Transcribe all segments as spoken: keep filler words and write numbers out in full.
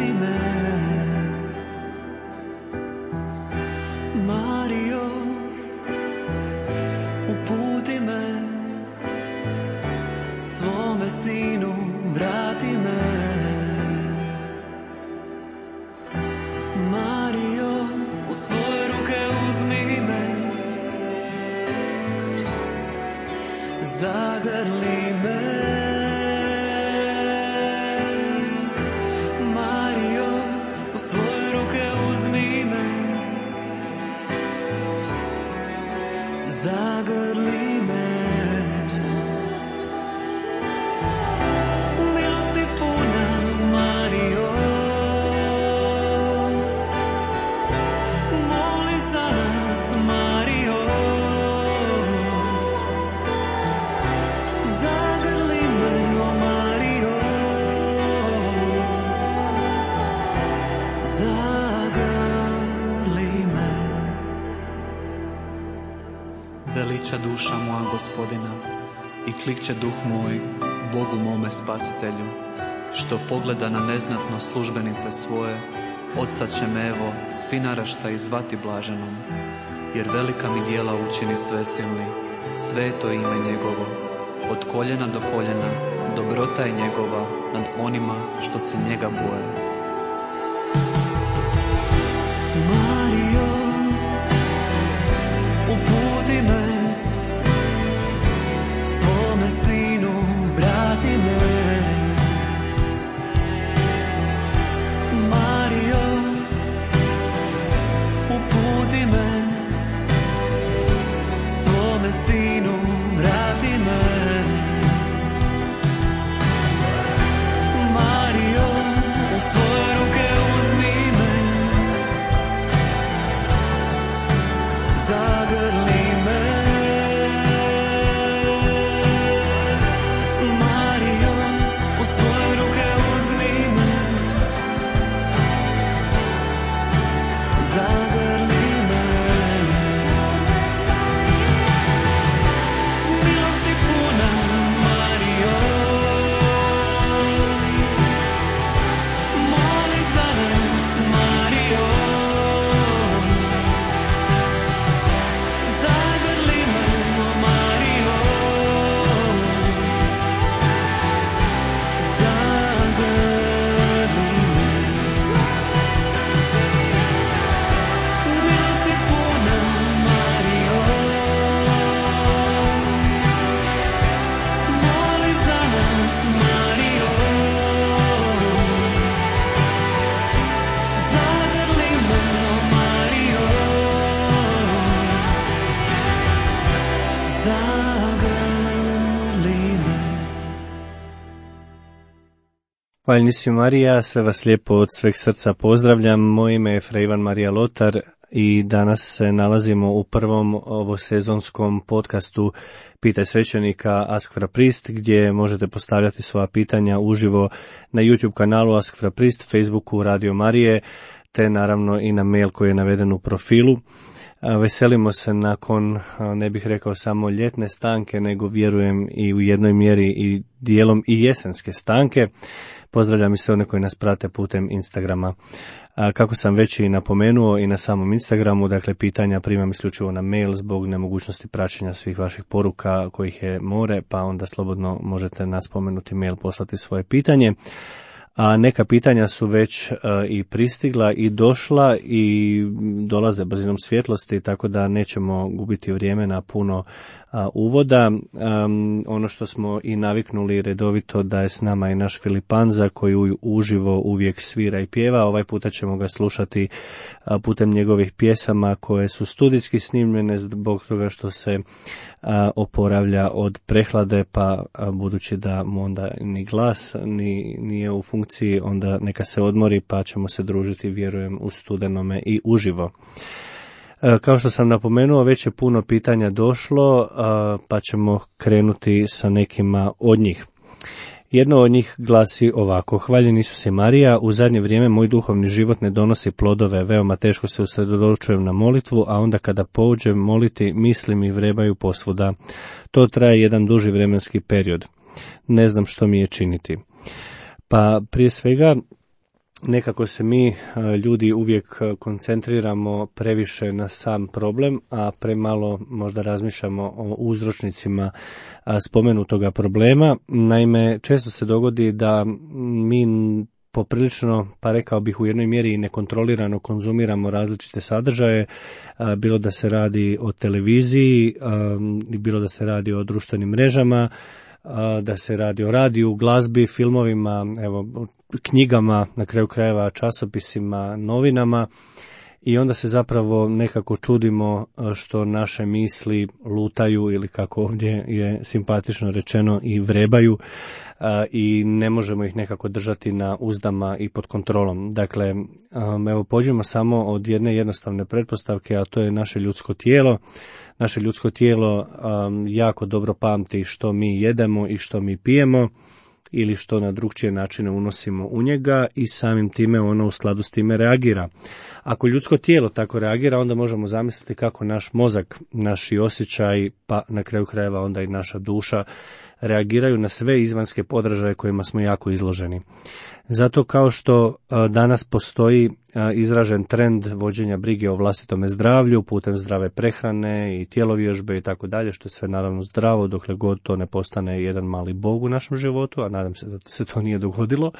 vrati me. Mario, uputi me, svome sinu vrati me. Mario, u svoje ruke uzmi me, zagrli me. Mario, u svoje ruke uzmi me, zagrli me. Milosti puna, Mario, moli za nas, Mario. Zagrli me, o Mario, zagrli me. Veliča duša moja Gospodina i klikće duh moj Bogu mome spasitelju, što pogleda na neznatno službenice svoje. Od sad će me evo svi naraštaji zvati blaženom, jer velika mi djela učini svesilni, sveto ime njegovo. Od koljena do koljena dobrota je njegova nad onima što se njega boje. Mario, uputi me, svome sinu vrati me. Mario, uputi me, svome sinu vrati me. Mario, u svoje ruke uzmi me, zagrli me. Mario, u svoje ruke uzmi me, zagrli me. Milosti puna, Mario, moli za nas, Mario. Zagrli me, o Mario, zagrli me. Milosti puna, Mario, moli za nas, Mario. Zagrli me, o Mario, zagrli me. Hvaljeni si Marija, sve vas lijepo od sveg srca pozdravljam. Moje ime je Fra Ivan Marija Lotar i danas se nalazimo u prvom ovosezonskom podcastu Pitaj svećenika Ask Fra Priest, gdje možete postavljati svoja pitanja uživo na YouTube kanalu Ask Fra Priest, Facebooku Radio Marije, te naravno i na mail koji je naveden u profilu. Veselimo se nakon, ne bih rekao samo ljetne stanke, nego vjerujem i u jednoj mjeri i dijelom i jesenske stanke. Pozdravljam i sve one koji nas prate putem Instagrama. Kako sam već i napomenuo i na samom Instagramu, dakle pitanja primam isključivo na mail zbog nemogućnosti praćenja svih vaših poruka kojih je more, pa onda slobodno možete na spomenuti mail poslati svoje pitanje. A neka pitanja su već uh, i pristigla i došla i dolaze brzinom svjetlosti, tako da nećemo gubiti vrijeme na puno uh, uvoda. Um, ono što smo i naviknuli redovito da je s nama i naš Filipanza koji u, uživo uvijek svira i pjeva. Ovaj puta ćemo ga slušati uh, putem njegovih pjesama koje su studijski snimljene zbog toga što se a, oporavlja od prehlade, pa a, budući da mu onda ni glas ni, nije u funkciji, onda neka se odmori, pa ćemo se družiti, vjerujem, u studenome i uživo. A, kao što sam napomenuo, već je puno pitanja došlo, a, pa ćemo krenuti sa nekima od njih. Jedno od njih glasi ovako: Hvaljen Isuse Marija, u zadnje vrijeme moj duhovni život ne donosi plodove, veoma teško se usredotočujem na molitvu, a onda kada pođem moliti, misli mi vrebaju posvuda. To traje jedan duži vremenski period. Ne znam što mi je činiti. Pa prije svega nekako se mi ljudi uvijek koncentriramo previše na sam problem, a premalo možda razmišljamo o uzročnicima spomenutoga problema. Naime, često se dogodi da mi poprilično, pa rekao bih u jednoj mjeri nekontrolirano konzumiramo različite sadržaje, bilo da se radi o televiziji, bilo da se radi o društvenim mrežama, da se radi o radiju, glazbi, filmovima, evo, knjigama, na kraju krajeva časopisima, novinama, i onda se zapravo nekako čudimo što naše misli lutaju ili, kako ovdje je simpatično rečeno, i vrebaju, i ne možemo ih nekako držati na uzdama i pod kontrolom. Dakle, evo, pođemo samo od jedne jednostavne pretpostavke, a to je naše ljudsko tijelo. Naše ljudsko tijelo um, jako dobro pamti što mi jedemo i što mi pijemo, ili što na drugčije načine unosimo u njega, i samim time ono u skladu s time reagira. Ako ljudsko tijelo tako reagira, onda možemo zamisliti kako naš mozak, naši osjećaj, pa na kraju krajeva onda i naša duša reagiraju na sve izvanjske podražaje kojima smo jako izloženi. Zato, kao što danas postoji izražen trend vođenja brige o vlastitome zdravlju putem zdrave prehrane i tjelovježbe i tako dalje, što je sve naravno zdravo dokle god to ne postane jedan mali bog u našem životu, a nadam se da se to nije dogodilo,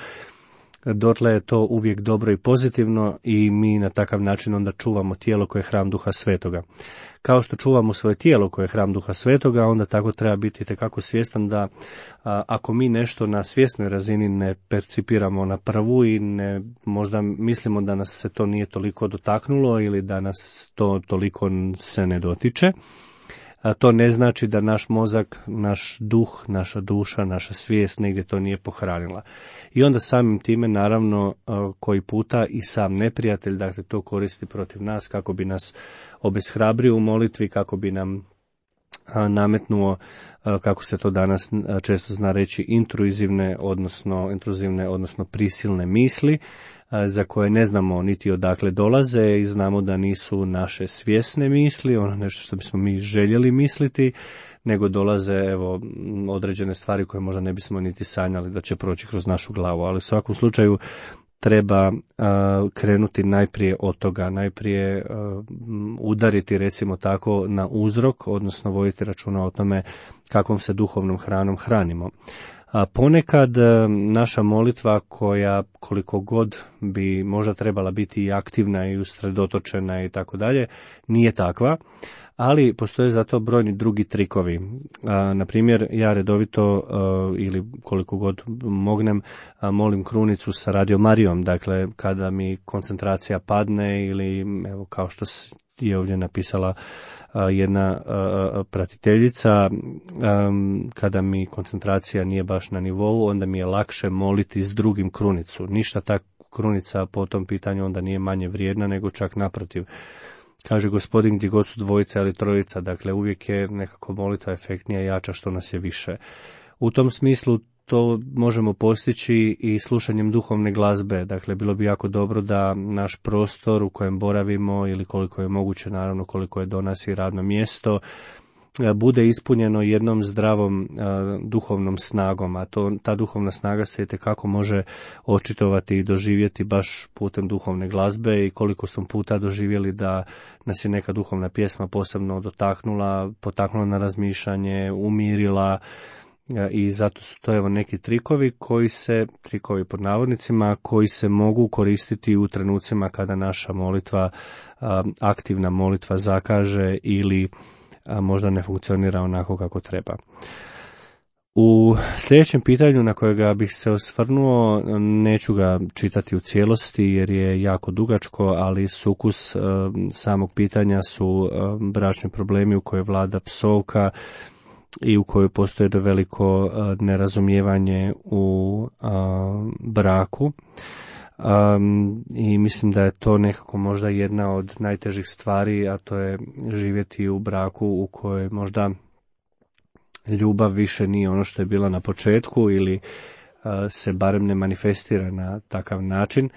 dotle je to uvijek dobro i pozitivno, i mi na takav način onda čuvamo tijelo koje je hram Duha Svetoga. Kao što čuvamo svoje tijelo koje je hram Duha Svetoga, onda tako treba biti itekako svjestan da a, ako mi nešto na svjesnoj razini ne percipiramo na prvu i ne, možda mislimo da nas se to nije toliko dotaknulo ili da nas to toliko se ne dotiče, a to ne znači da naš mozak, naš duh, naša duša, naša svijest negdje to nije pohranila. I onda samim time, naravno, koji puta i sam neprijatelj, dakle, to koristi protiv nas kako bi nas obeshrabrio u molitvi, kako bi nam nametnuo, kako se to danas često zna reći, intruzivne, odnosno intruzivne, odnosno prisilne misli, za koje ne znamo niti odakle dolaze i znamo da nisu naše svjesne misli, ono nešto što bismo mi željeli misliti, nego dolaze, evo, određene stvari koje možda ne bismo niti sanjali da će proći kroz našu glavu. Ali u svakom slučaju treba uh, krenuti najprije od toga, najprije uh, udariti, recimo tako, na uzrok, odnosno voditi računa o tome kakvom se duhovnom hranom hranimo. A ponekad naša molitva, koja koliko god bi možda trebala biti i aktivna i usredotočena i tako dalje, nije takva, ali postoje zato brojni drugi trikovi. A, na primjer, ja redovito a, ili koliko god mognem a, molim krunicu sa Radio Marijom, dakle kada mi koncentracija padne ili, evo, kao što je ovdje napisala jedna pratiteljica, kada mi koncentracija nije baš na nivou, onda mi je lakše moliti s drugim krunicu. Ništa ta krunica po tom pitanju onda nije manje vrijedna, nego čak naprotiv. Kaže Gospodin, gdje god su dvojica ili trojica, dakle uvijek je nekako molitva efektnija i jača što nas je više. U tom smislu to možemo postići i slušanjem duhovne glazbe. Dakle, bilo bi jako dobro da naš prostor u kojem boravimo, ili koliko je moguće, naravno koliko je do nas i radno mjesto, bude ispunjeno jednom zdravom a, duhovnom snagom, a to, ta duhovna snaga se itekako može očitovati i doživjeti baš putem duhovne glazbe, i koliko smo puta doživjeli da nas je neka duhovna pjesma posebno dotaknula, potaknula na razmišljanje, umirila. I zato su to, evo, neki trikovi koji se, trikovi pod navodnicima, koji se mogu koristiti u trenucima kada naša molitva, aktivna molitva, zakaže ili možda ne funkcionira onako kako treba. U sljedećem pitanju na kojega bih se osvrnuo, neću ga čitati u cijelosti jer je jako dugačko, ali sukus samog pitanja su bračni problemi u kojoj vlada psovka i u kojoj postoji do veliko nerazumijevanje u a, braku. A, I mislim da je to nekako možda jedna od najtežih stvari, a to je živjeti u braku u kojoj možda ljubav više nije ono što je bila na početku, ili a, se barem ne manifestira na takav način.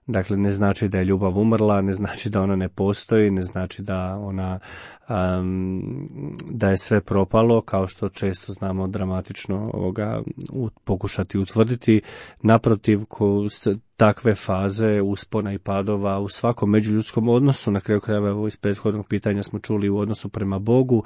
Dakle, ne znači da je ljubav umrla, ne znači da ona ne postoji, ne znači da ona um, da je sve propalo, kao što često znamo dramatično ovoga pokušati utvrditi. Naprotiv, ko takve faze uspona i padova u svakom međuljudskom odnosu, na kraju krajeva evo iz prethodnog pitanja smo čuli u odnosu prema Bogu,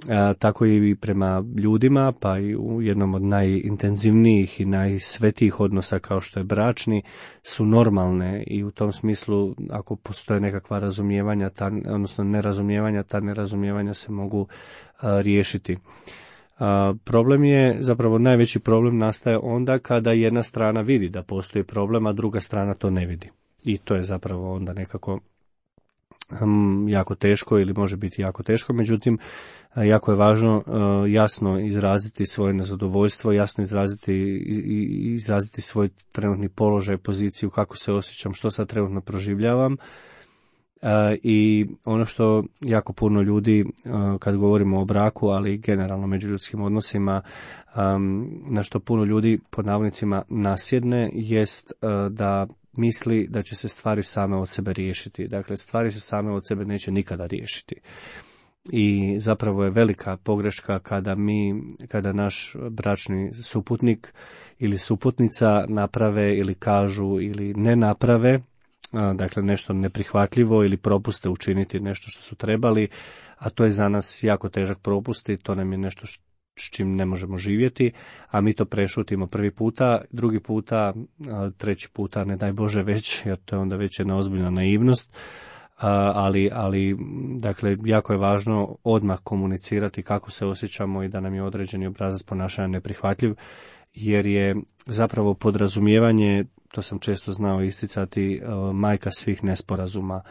a, tako i prema ljudima, pa i u jednom od najintenzivnijih i najsvetijih odnosa kao što je bračni, su normalne i u tom smislu ako postoje nekakva razumijevanja, ta, odnosno nerazumijevanja, ta nerazumijevanja se mogu a, riješiti. A, problem je, zapravo najveći problem nastaje onda kada jedna strana vidi da postoji problem, a druga strana to ne vidi. I to je zapravo onda nekako um, jako teško ili može biti jako teško, međutim jako je važno uh, jasno izraziti svoje nezadovoljstvo, jasno izraziti, i, izraziti svoj trenutni položaj, poziciju, kako se osjećam, što sad trenutno proživljavam. Uh, I ono što jako puno ljudi, uh, kad govorimo o braku, ali generalno međuljudskim odnosima, um, na što puno ljudi pod navodnicima nasjedne, jest uh, da misli da će se stvari same od sebe riješiti. Dakle, stvari se same od sebe neće nikada riješiti. I zapravo je velika pogreška kada mi, kada naš bračni suputnik ili suputnica naprave ili kažu ili ne naprave, dakle nešto neprihvatljivo ili propuste učiniti nešto što su trebali, a to je za nas jako težak propust i to nam je nešto s čim ne možemo živjeti, a mi to prešutimo prvi puta, drugi puta, treći puta, ne daj Bože već, jer to je onda već jedna ozbiljna naivnost. Ali, ali dakle, jako je važno odmah komunicirati kako se osjećamo i da nam je određeni obrazac ponašanja neprihvatljiv, jer je zapravo podrazumijevanje, to sam često znao isticati, majka svih nesporazuma.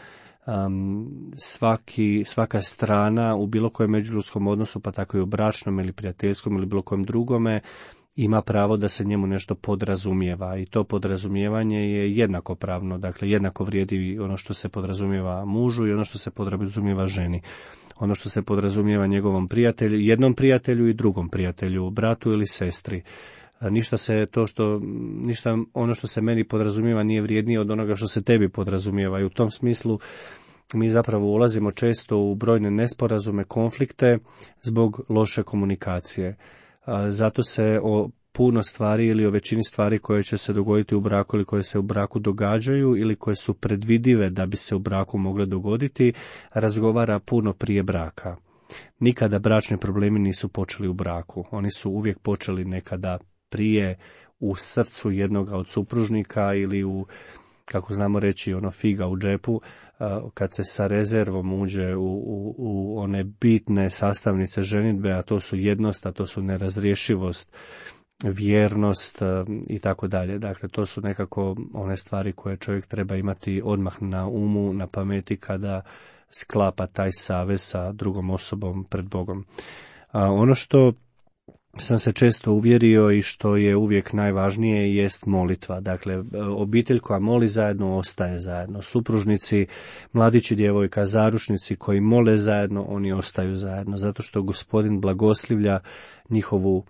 Svaki, svaka strana u bilo kojem međuljudskom odnosu, pa tako i u bračnom ili prijateljskom ili bilo kojem drugome, ima pravo da se njemu nešto podrazumijeva i to podrazumijevanje je jednakopravno, dakle jednako vrijedi ono što se podrazumijeva mužu i ono što se podrazumijeva ženi. Ono što se podrazumijeva njegovom prijatelju, jednom prijatelju i drugom prijatelju, bratu ili sestri. Ništa se to što, ništa ono što se meni podrazumijeva nije vrijednije od onoga što se tebi podrazumijeva i u tom smislu mi zapravo ulazimo često u brojne nesporazume, konflikte zbog loše komunikacije. Zato se o puno stvari ili o većini stvari koje će se dogoditi u braku ili koje se u braku događaju ili koje su predvidive da bi se u braku mogle dogoditi, razgovara puno prije braka. Nikada bračni problemi nisu počeli u braku. Oni su uvijek počeli nekada prije u srcu jednoga od supružnika ili u, kako znamo reći, ono figa u džepu, kad se sa rezervom uđe u, u, u one bitne sastavnice ženidbe, a to su jednost, a to su nerazrješivost, vjernost i tako dalje. Dakle, to su nekako one stvari koje čovjek treba imati odmah na umu, na pameti kada sklapa taj savez sa drugom osobom pred Bogom. A ono što sam se često uvjerio i što je uvijek najvažnije jest molitva. Dakle, obitelj koja moli zajedno ostaje zajedno. Supružnici, mladići, djevojka, zaručnici koji mole zajedno, oni ostaju zajedno. Zato što Gospodin blagoslivlja njihovu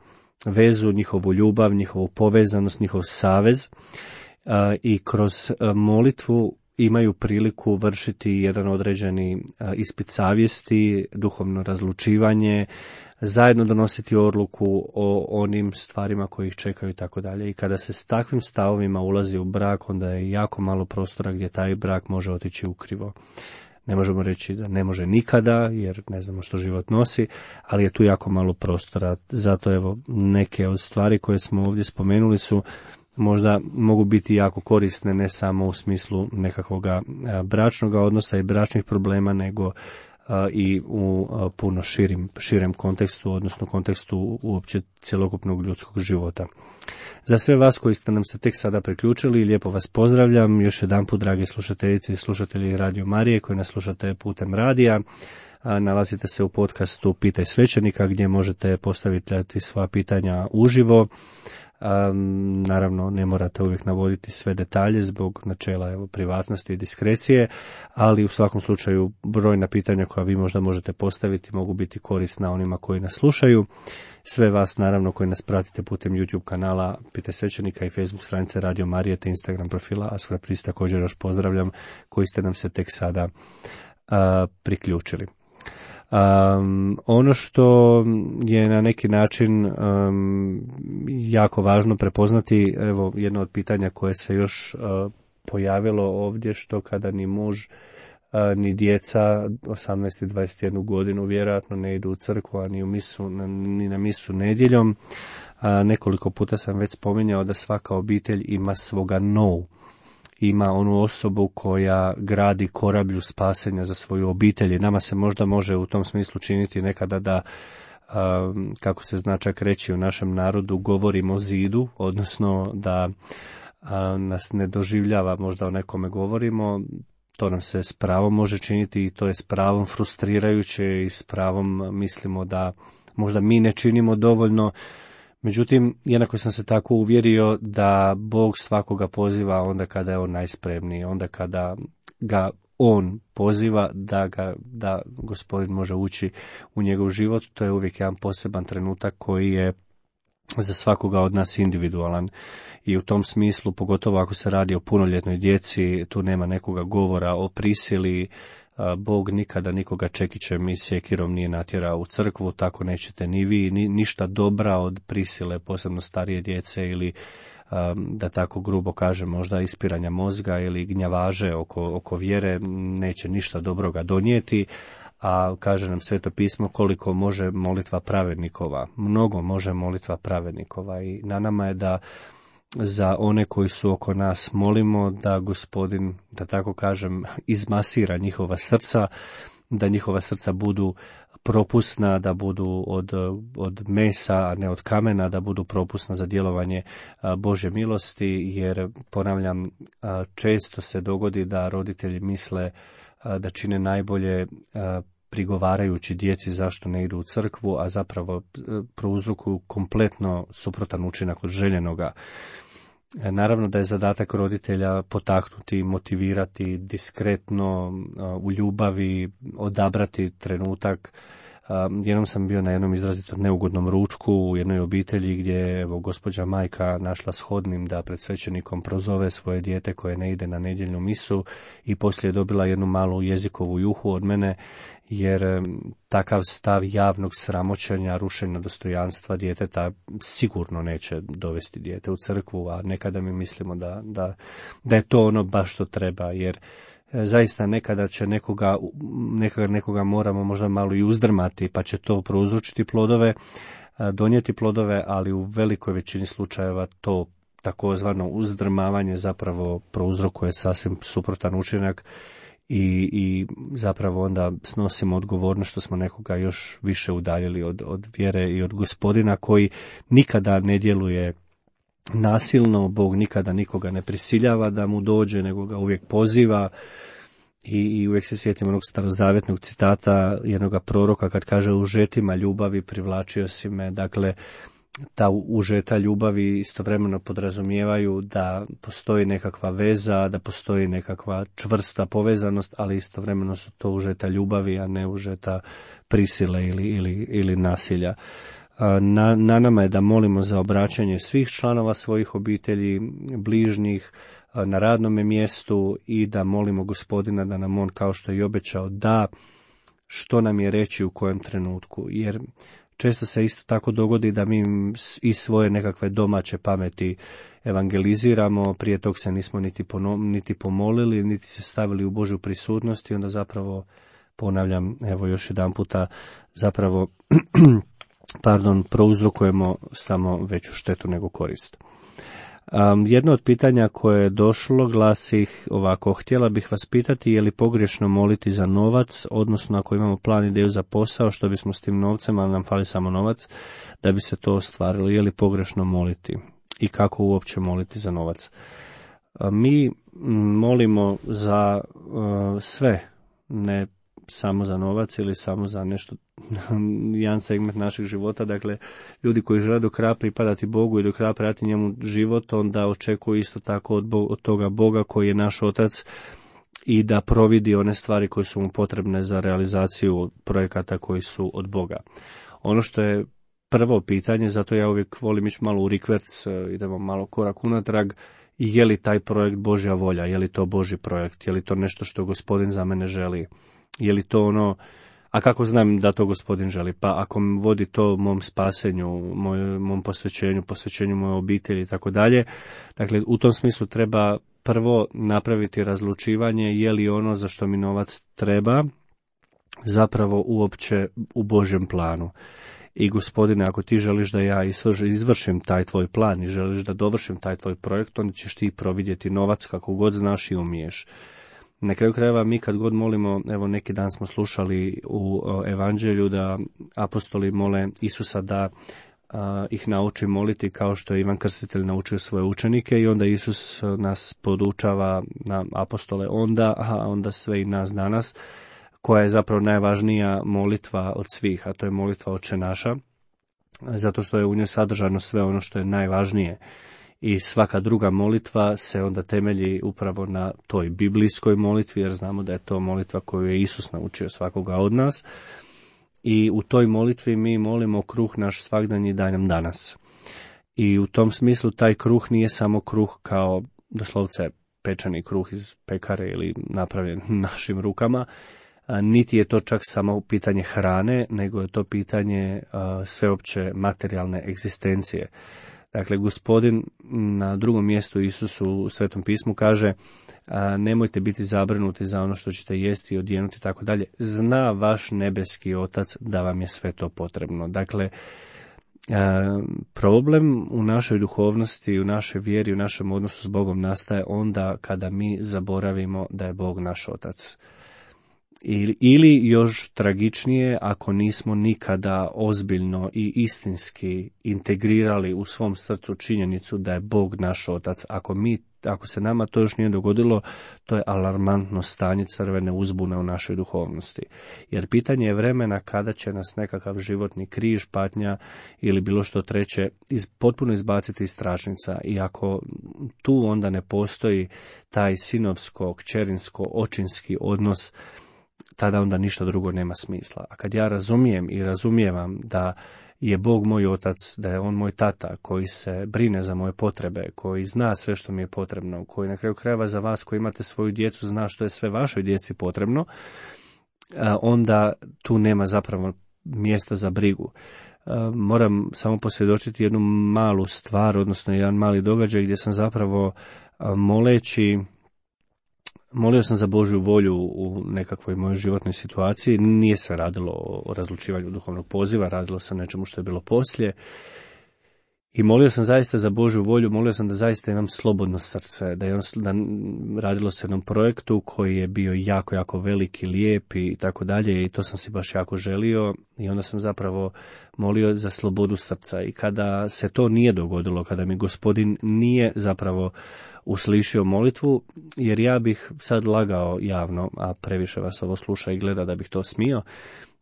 vezu, njihovu ljubav, njihovu povezanost, njihov savez i kroz molitvu imaju priliku vršiti jedan određeni ispit savjesti, duhovno razlučivanje, zajedno donositi odluku o onim stvarima koji ih čekaju i tako dalje. I kada se s takvim stavovima ulazi u brak, onda je jako malo prostora gdje taj brak može otići ukrivo. Ne možemo reći da ne može nikada, jer ne znamo što život nosi, ali je tu jako malo prostora. Zato evo neke od stvari koje smo ovdje spomenuli su možda mogu biti jako korisne ne samo u smislu nekakvog bračnog odnosa i bračnih problema, nego i u puno širim, širem kontekstu, odnosno kontekstu uopće cjelokupnog ljudskog života. Za sve vas koji ste nam se tek sada priključili, lijepo vas pozdravljam. Još jedanput, dragi slušateljice i slušatelji Radio Marije koji nas slušate putem radija. Nalazite se u podcastu Pitaj svećenika gdje možete postaviti svoja pitanja uživo. Um, naravno, ne morate uvijek navoditi sve detalje zbog načela evo, privatnosti i diskrecije, ali u svakom slučaju brojna pitanja koja vi možda možete postaviti mogu biti korisna onima koji nas slušaju. Sve vas, naravno, koji nas pratite putem YouTube kanala Pitaj svećenika i Facebook stranice Radio Marije te Instagram profila Asfora Priest, također još pozdravljam, koji ste nam se tek sada uh, priključili. Um, ono što je na neki način um, jako važno prepoznati, evo jedno od pitanja koje se još uh, pojavilo ovdje, što kada ni muž uh, ni djeca osamnaest i dvadeset jednu godinu vjerojatno ne idu u crkvu, a ni, u misu, ni na misu nedjeljom. Uh, nekoliko puta sam već spominjao da svaka obitelj ima svoga nou. Ima onu osobu koja gradi korablju spasenja za svoju obitelj i nama se možda može u tom smislu činiti nekada da, kako se zna čak reći u našem narodu, govorimo zidu, odnosno da nas ne doživljava možda o nekome govorimo. To nam se s pravom može činiti i to je s pravom frustrirajuće i s pravom mislimo da možda mi ne činimo dovoljno. Međutim, jednako sam se tako uvjerio da Bog svakoga poziva onda kada je on najspremniji, onda kada ga on poziva da ga da Gospodin može ući u njegov život. To je uvijek jedan poseban trenutak koji je za svakoga od nas individualan. I u tom smislu, pogotovo ako se radi o punoljetnoj djeci, tu nema nekoga govora o prisili. Bog nikada nikoga čekićem i sjekirom nije natjerao u crkvu, tako nećete ni vi, ni, ništa dobra od prisile, posebno starije djece ili, da tako grubo kažem, možda ispiranja mozga ili gnjavaže oko, oko vjere, neće ništa dobroga donijeti. A kaže nam Sveto pismo koliko može molitva pravednikova, mnogo može molitva pravednikova i na nama je da za one koji su oko nas molimo da Gospodin, da tako kažem, izmasira njihova srca, da njihova srca budu propusna, da budu od, od mesa, a ne od kamena, da budu propusna za djelovanje Božje milosti, jer, ponavljam, često se dogodi da roditelji misle da čine najbolje prigovarajući djeci zašto ne idu u crkvu, a zapravo prouzrokuju kompletno suprotan učinak od željenoga. Naravno da je zadatak roditelja potaknuti, motivirati, diskretno, u ljubavi, odabrati trenutak. Jednom sam bio na jednom izrazito neugodnom ručku u jednoj obitelji gdje je evo, gospođa majka našla shodnim da pred svećenikom prozove svoje dijete koje ne ide na nedjeljnu misu i poslije je dobila jednu malu jezikovu juhu od mene, jer takav stav javnog sramoćenja, rušenja dostojanstva djeteta sigurno neće dovesti dijete u crkvu, a nekada mi mislimo da, da, da je to ono baš što treba, jer zaista nekada će nekoga, nekoga, nekoga moramo možda malo i uzdrmati, pa će to prouzročiti plodove, donijeti plodove, ali u velikoj većini slučajeva to takozvano uzdrmavanje zapravo prouzrokuje sasvim suprotan učinak i, i zapravo onda snosimo odgovornost što smo nekoga još više udaljili od, od vjere i od Gospodina koji nikada ne djeluje nasilno. Bog nikada nikoga ne prisiljava da mu dođe, nego ga uvijek poziva i, i uvijek se sjetim onog starozavjetnog citata jednog proroka kad kaže u žetima ljubavi privlačio si me. Dakle, ta užeta ljubavi istovremeno podrazumijevaju da postoji nekakva veza, da postoji nekakva čvrsta povezanost, ali istovremeno su to užeta ljubavi, a ne užeta prisile ili, ili, ili nasilja. Na, na nama je da molimo za obraćanje svih članova svojih obitelji, bližnjih, na radnome mjestu i da molimo Gospodina da nam on, kao što je i obećao, da što nam je reći u kojem trenutku. Jer često se isto tako dogodi da mi iz svoje nekakve domaće pameti evangeliziramo, prije tog se nismo niti, pono, niti pomolili, niti se stavili u Božju prisutnost i onda zapravo, ponavljam, evo još jedan puta, zapravo pardon, prouzrokujemo samo veću štetu nego korist. Um, jedno od pitanja koje je došlo glasi ovako: htjela bih vas pitati je li pogrešno moliti za novac, odnosno ako imamo plan, ideju za posao, što bismo s tim novcem, ali nam fali samo novac, da bi se to ostvarilo, je li pogrešno moliti i kako uopće moliti za novac? Um, mi molimo za uh, sve, ne samo za novac ili samo za nešto, jedan segment našeg života. Dakle, ljudi koji žele do kraja pripadati Bogu i do kraja pratiti njemu život, onda očekuju isto tako od, Bo- od toga Boga koji je naš otac i da providi one stvari koje su mu potrebne za realizaciju projekata koji su od Boga. Ono što je prvo pitanje, zato ja uvijek volim ići malo u rikverc, idemo malo korak unatrag, je li taj projekt Božja volja, je li to Božji projekt, je li to nešto što Gospodin za mene želi, je li to ono, a kako znam da to Gospodin želi, pa ako vodi to mom spasenju, moj, mom posvećenju, posvećenju moje obitelji i tako dalje, dakle u tom smislu treba prvo napraviti razlučivanje je li ono za što mi novac treba zapravo uopće u Božjem planu. I Gospodine, ako ti želiš da ja izvršim taj tvoj plan i želiš da dovršim taj tvoj projekt, onda ćeš ti providjeti novac kako god znaš i umiješ. Na kraju krajeva mi kad god molimo, evo neki dan smo slušali u evanđelju da apostoli mole Isusa da a, ih nauči moliti kao što je Ivan Krstitelj naučio svoje učenike i onda Isus nas podučava na apostole onda, a onda sve i nas danas, koja je zapravo najvažnija molitva od svih, a to je molitva Oče naša, zato što je u njoj sadržano sve ono što je najvažnije. I svaka druga molitva se onda temelji upravo na toj biblijskoj molitvi, jer znamo da je to molitva koju je Isus naučio svakoga od nas. I u toj molitvi mi molimo kruh naš svagdanji daj nam danas. I u tom smislu taj kruh nije samo kruh kao doslovce pečeni kruh iz pekare ili napravljen našim rukama, niti je to čak samo pitanje hrane, nego je to pitanje sveopće materijalne egzistencije. Dakle, Gospodin na drugom mjestu Isusu u Svetom pismu kaže nemojte biti zabrinuti za ono što ćete jesti i odjenuti i tako dalje. Zna vaš nebeski Otac da vam je sve to potrebno. Dakle, problem u našoj duhovnosti, u našoj vjeri, u našem odnosu s Bogom nastaje onda kada mi zaboravimo da je Bog naš Otac. Ili, ili još tragičnije, ako nismo nikada ozbiljno i istinski integrirali u svom srcu činjenicu da je Bog naš Otac. Ako, mi, ako se nama to još nije dogodilo, to je alarmantno stanje crvene uzbune u našoj duhovnosti. Jer pitanje je vremena kada će nas nekakav životni križ, patnja ili bilo što treće iz, potpuno izbaciti iz tračnica. I ako tu onda ne postoji taj sinovsko, kćerinsko, očinski odnos, tada onda ništa drugo nema smisla. A kad ja razumijem i razumijevam da je Bog moj Otac, da je On moj tata koji se brine za moje potrebe, koji zna sve što mi je potrebno, koji na kraju krajeva za vas koji imate svoju djecu zna što je sve vašoj djeci potrebno, onda tu nema zapravo mjesta za brigu. Moram samo posvjedočiti jednu malu stvar, odnosno jedan mali događaj gdje sam zapravo moleći Molio sam za Božju volju u nekakvoj mojoj životnoj situaciji, nije se radilo o razlučivanju duhovnog poziva, radilo se o nečemu što je bilo poslije. I molio sam zaista za Božju volju, molio sam da zaista imam slobodno srce, da, je on, da radilo se o jednom projektu koji je bio jako, jako veliki, lijep i tako dalje i to sam si baš jako želio i onda sam zapravo molio za slobodu srca. I kada se to nije dogodilo, kada mi Gospodin nije zapravo uslišio molitvu, jer ja bih sad lagao javno, a previše vas ovo sluša i gleda da bih to smio,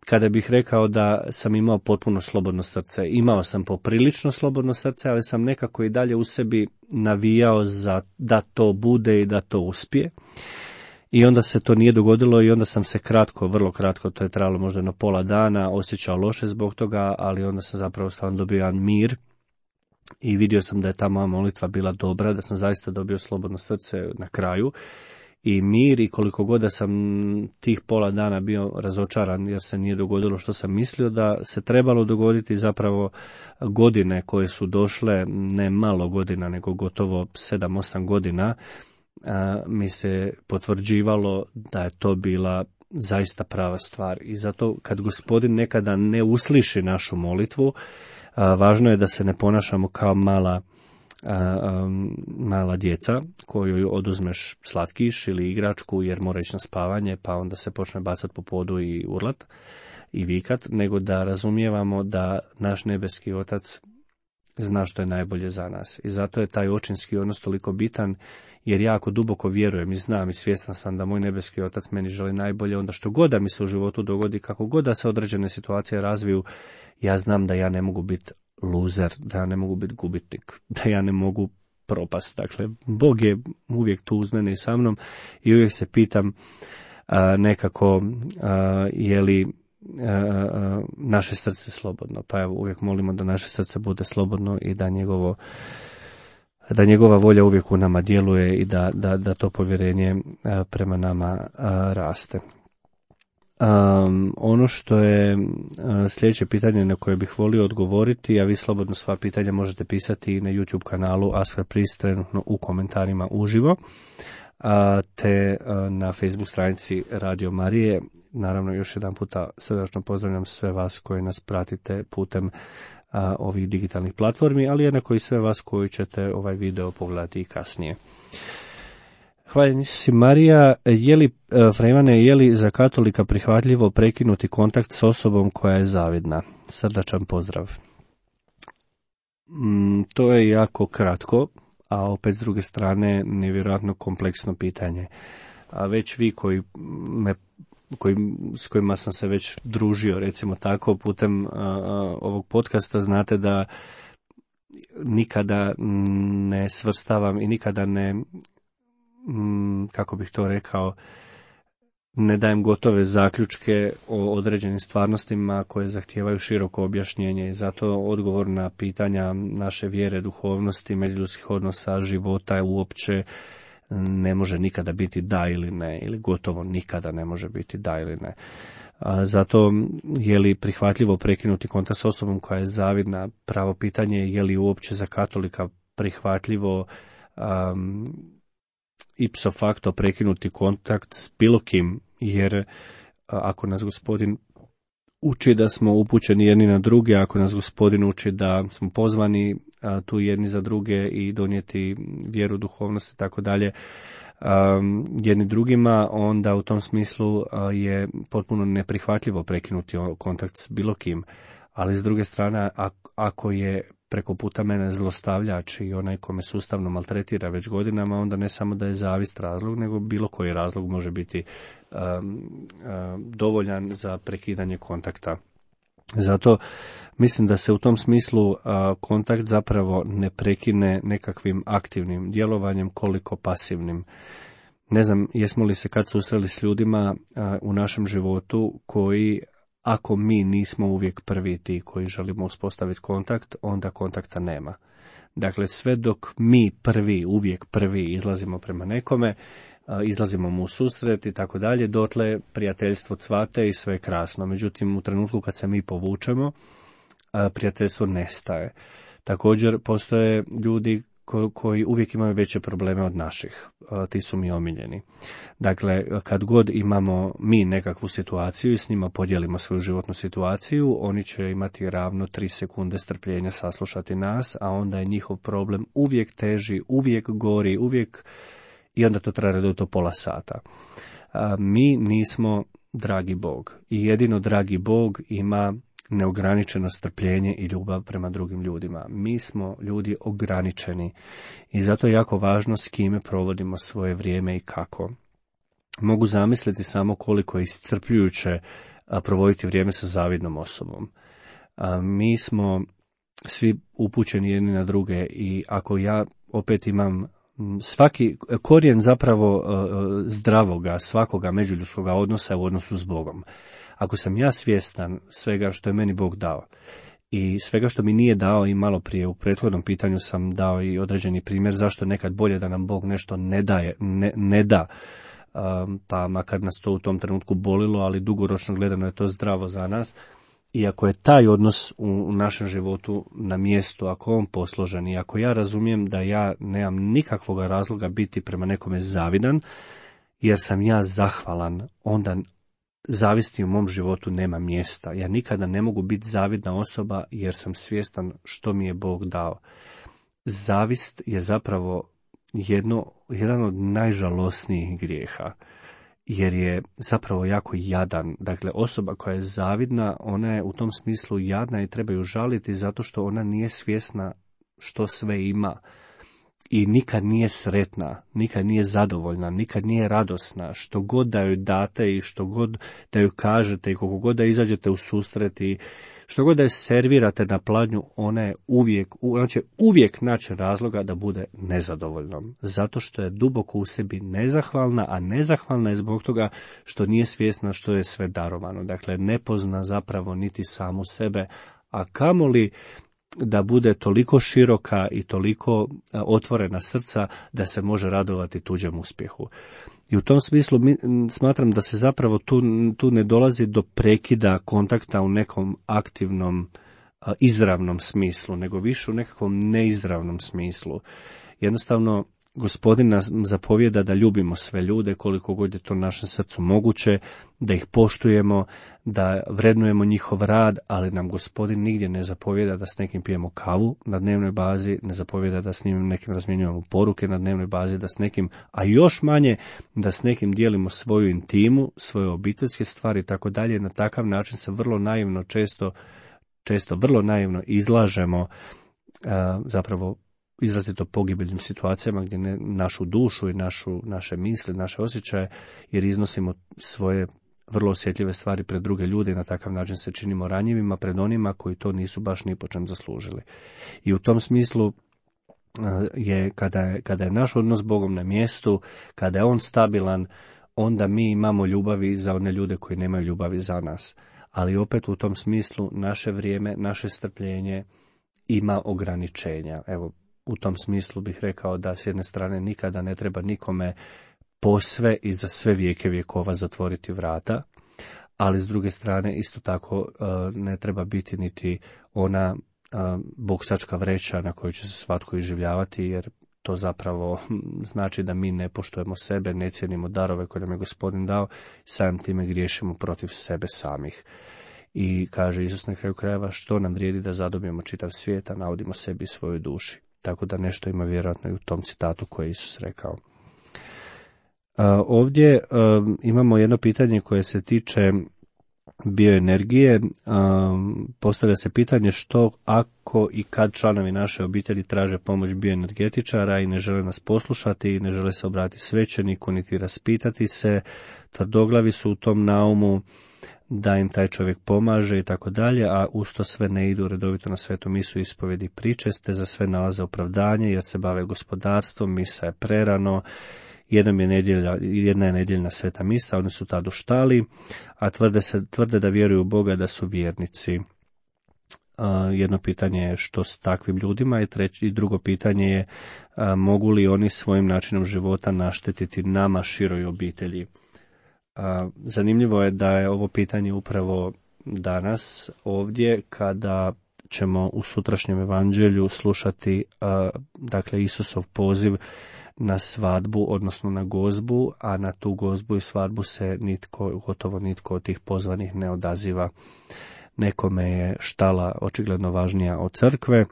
kada bih rekao da sam imao potpuno slobodno srce. Imao sam poprilično slobodno srce, ali sam nekako i dalje u sebi navijao za da to bude i da to uspije. I onda se to nije dogodilo i onda sam se kratko, vrlo kratko, to je trajalo možda jedno pola dana, osjećao loše zbog toga, ali onda sam zapravo stvarno dobio jedan mir i vidio sam da je ta moja molitva bila dobra, da sam zaista dobio slobodno srce na kraju i mir, i koliko god da sam tih pola dana bio razočaran jer se nije dogodilo što sam mislio da se trebalo dogoditi, zapravo godine koje su došle, ne malo godina nego gotovo sedam osam godina, a, mi se potvrđivalo da je to bila zaista prava stvar. I zato kad Gospodin nekada ne usliši našu molitvu, a, važno je da se ne ponašamo kao mala A, a, mala djeca koju oduzmeš slatkiš ili igračku jer mora ići na spavanje pa onda se počne bacati po podu i urlat i vikat, nego da razumijevamo da naš nebeski Otac zna što je najbolje za nas. I zato je taj očinski odnos toliko bitan, jer jako duboko vjerujem i znam i svjestan sam da moj nebeski otac meni želi najbolje, onda što god da mi se u životu dogodi, kako god da se određene situacije razviju, ja znam da ja ne mogu biti luzer, da ja ne mogu biti gubitnik, da ja ne mogu propast. Dakle, Bog je uvijek tu uz mene i sa mnom i uvijek se pitam a, nekako a, je li a, naše srce slobodno. Pa evo, uvijek molimo da naše srce bude slobodno i da njegovo da njegova volja uvijek u nama djeluje i da, da, da to povjerenje a, prema nama a, raste. Um, ono što je uh, sljedeće pitanje na koje bih volio odgovoriti, a vi slobodno sva pitanja možete pisati i na YouTube kanalu Ask the Priest, trenutno u komentarima uživo, uh, te uh, na Facebook stranici Radio Marije. Naravno, još jedan puta srdačno pozdravljam sve vas koji nas pratite putem uh, ovih digitalnih platformi, ali jednako i sve vas koji ćete ovaj video pogledati i kasnije. Hvala si Marija, je li, Frejmane, je li za katolika prihvatljivo prekinuti kontakt s osobom koja je zavidna? Srdačan pozdrav. Mm, to je jako kratko, a opet s druge strane nevjerojatno kompleksno pitanje. A već vi koji me, koji, s kojima sam se već družio, recimo tako, putem a, a, ovog podcasta, znate da nikada ne svrstavam i nikada ne... kako bih to rekao, ne dajem gotove zaključke o određenim stvarnostima koje zahtijevaju široko objašnjenje i zato odgovor na pitanja naše vjere, duhovnosti, međuljudskih odnosa, života uopće ne može nikada biti da ili ne, ili gotovo nikada ne može biti da ili ne. A zato je li prihvatljivo prekinuti kontakt s osobom koja je zavidna? Pravo pitanje je je li uopće za katolika prihvatljivo um, ipso facto prekinuti kontakt s bilo kim, jer ako nas Gospodin uči da smo upućeni jedni na druge, ako nas Gospodin uči da smo pozvani a, tu jedni za druge i donijeti vjeru, duhovnost i tako dalje jedni drugima, onda u tom smislu a, je potpuno neprihvatljivo prekinuti kontakt s bilo kim. Ali s druge strane, ako je preko puta mene zlostavljač i onaj ko me sustavno maltretira već godinama, onda ne samo da je zavist razlog, nego bilo koji razlog može biti um, um, dovoljan za prekidanje kontakta. Zato mislim da se u tom smislu uh, kontakt zapravo ne prekine nekakvim aktivnim djelovanjem koliko pasivnim. Ne znam, jesmo li se kad susreli s ljudima uh, u našem životu koji, ako mi nismo uvijek prvi ti koji želimo uspostaviti kontakt, onda kontakta nema. Dakle, sve dok mi prvi, uvijek prvi izlazimo prema nekome, izlazimo mu u susret i tako dalje, dotle prijateljstvo cvate i sve je krasno. Međutim, u trenutku kad se mi povučemo, prijateljstvo nestaje. Također, postoje ljudi koji uvijek imaju veće probleme od naših. Ti su mi omiljeni. Dakle, kad god imamo mi nekakvu situaciju i s njima podijelimo svoju životnu situaciju, oni će imati ravno tri sekunde strpljenja saslušati nas, a onda je njihov problem uvijek teži, uvijek gori, uvijek, i onda to traje do to pola sata. A, mi nismo dragi Bog i jedino dragi Bog ima neograničeno strpljenje i ljubav prema drugim ljudima. Mi smo ljudi ograničeni i zato je jako važno s kime provodimo svoje vrijeme i kako. Mogu zamisliti samo koliko je iscrpljujuće provoditi vrijeme sa zavidnom osobom. Mi smo svi upućeni jedni na druge i ako ja opet imam svaki korijen zapravo zdravoga, svakoga međuljudskoga odnosa u odnosu s Bogom. Ako sam ja svjestan svega što je meni Bog dao i svega što mi nije dao, i malo prije u prethodnom pitanju sam dao i određeni primjer zašto nekad bolje da nam Bog nešto ne daje, ne, ne da, um, pa makar nas to u tom trenutku bolilo, ali dugoročno gledano je to zdravo za nas. I ako je taj odnos u, u našem životu na mjestu, ako on posložen i ako ja razumijem da ja nemam nikakvog razloga biti prema nekome zavidan, jer sam ja zahvalan, onda zavisti u mom životu nema mjesta. Ja nikada ne mogu biti zavidna osoba jer sam svjestan što mi je Bog dao. Zavist je zapravo jedno, jedan od najžalosnijih grijeha, jer je zapravo jako jadan. Dakle, osoba koja je zavidna, ona je u tom smislu jadna i treba ju žaliti zato što ona nije svjesna što sve ima i nikad nije sretna, nikad nije zadovoljna, nikad nije radosna, što god da joj date i što god da joj kažete i koliko god da izađete u susret i što god da je servirate na pladnju, ona je uvijek, ona će uvijek naći razloga da bude nezadovoljnom, zato što je duboko u sebi nezahvalna, a nezahvalna je zbog toga što nije svjesna što je sve darovano, dakle ne pozna zapravo niti samu sebe, a kamoli da bude toliko široka i toliko otvorena srca da se može radovati tuđem uspjehu. I u tom smislu mi, smatram da se zapravo tu, tu ne dolazi do prekida kontakta u nekom aktivnom, izravnom smislu, nego više u nekakvom neizravnom smislu. Jednostavno, Gospodin nas zapovijeda da ljubimo sve ljude koliko god je to našem srcu moguće, da ih poštujemo, da vrednujemo njihov rad, ali nam Gospodin nigdje ne zapovijeda da s nekim pijemo kavu na dnevnoj bazi, ne zapovijeda da s njim nekim razmjenjujemo poruke na dnevnoj bazi, da s nekim, a još manje da s nekim dijelimo svoju intimu, svoje obiteljske stvari i tako dalje. Na takav način se vrlo naivno često, često vrlo naivno izlažemo a, zapravo izrazito pogibeljnim situacijama gdje ne, našu dušu i našu, naše misli, naše osjećaje, jer iznosimo svoje vrlo osjetljive stvari pred druge ljude i na takav način se činimo ranjivima pred onima koji to nisu baš ni po čem zaslužili. I u tom smislu je kada, je kada je naš odnos s Bogom na mjestu, kada je on stabilan, onda mi imamo ljubavi za one ljude koji nemaju ljubavi za nas. Ali opet u tom smislu naše vrijeme, naše strpljenje ima ograničenja. Evo, u tom smislu bih rekao da s jedne strane nikada ne treba nikome posve i za sve vijeke vjekova zatvoriti vrata, ali s druge strane isto tako ne treba biti niti ona boksačka vreća na kojoj će se svatko iživljavati, jer to zapravo znači da mi ne poštujemo sebe, ne cijenimo darove koje nam je Gospodin dao, samim time griješimo protiv sebe samih. I kaže Isus na kraju krajeva, što nam vrijedi da zadobijemo čitav svijet, a naudimo sebi i svojoj duši. Tako da nešto ima vjerojatno i u tom citatu koje je Isus rekao. Ovdje imamo jedno pitanje koje se tiče bioenergije. Postavlja se pitanje što ako i kad članovi naše obitelji traže pomoć bioenergetičara i ne žele nas poslušati i ne žele se obratiti svećeniku niti raspitati se, tvrdoglavi su u tom naumu da im taj čovjek pomaže i tako dalje, a usto sve ne idu redovito na svetu misu, ispovjedi, pričeste, za sve nalaze opravdanje jer se bave gospodarstvom, misa je prerano, jednom je nedjelja, jedna je nedjeljna sveta misa, oni su tad u štali, a tvrde, se, tvrde da vjeruju u Boga, da su vjernici. A, jedno pitanje je što s takvim ljudima i, treći, i drugo pitanje je a, mogu li oni svojim načinom života naštetiti nama, široj obitelji. A, zanimljivo je da je ovo pitanje upravo danas ovdje kada ćemo u sutrašnjem evanđelju slušati a, dakle Isusov poziv na svadbu, odnosno na gozbu, a na tu gozbu i svadbu se nitko, gotovo nitko od tih pozvanih ne odaziva. Nekome je štala očigledno važnija od crkve,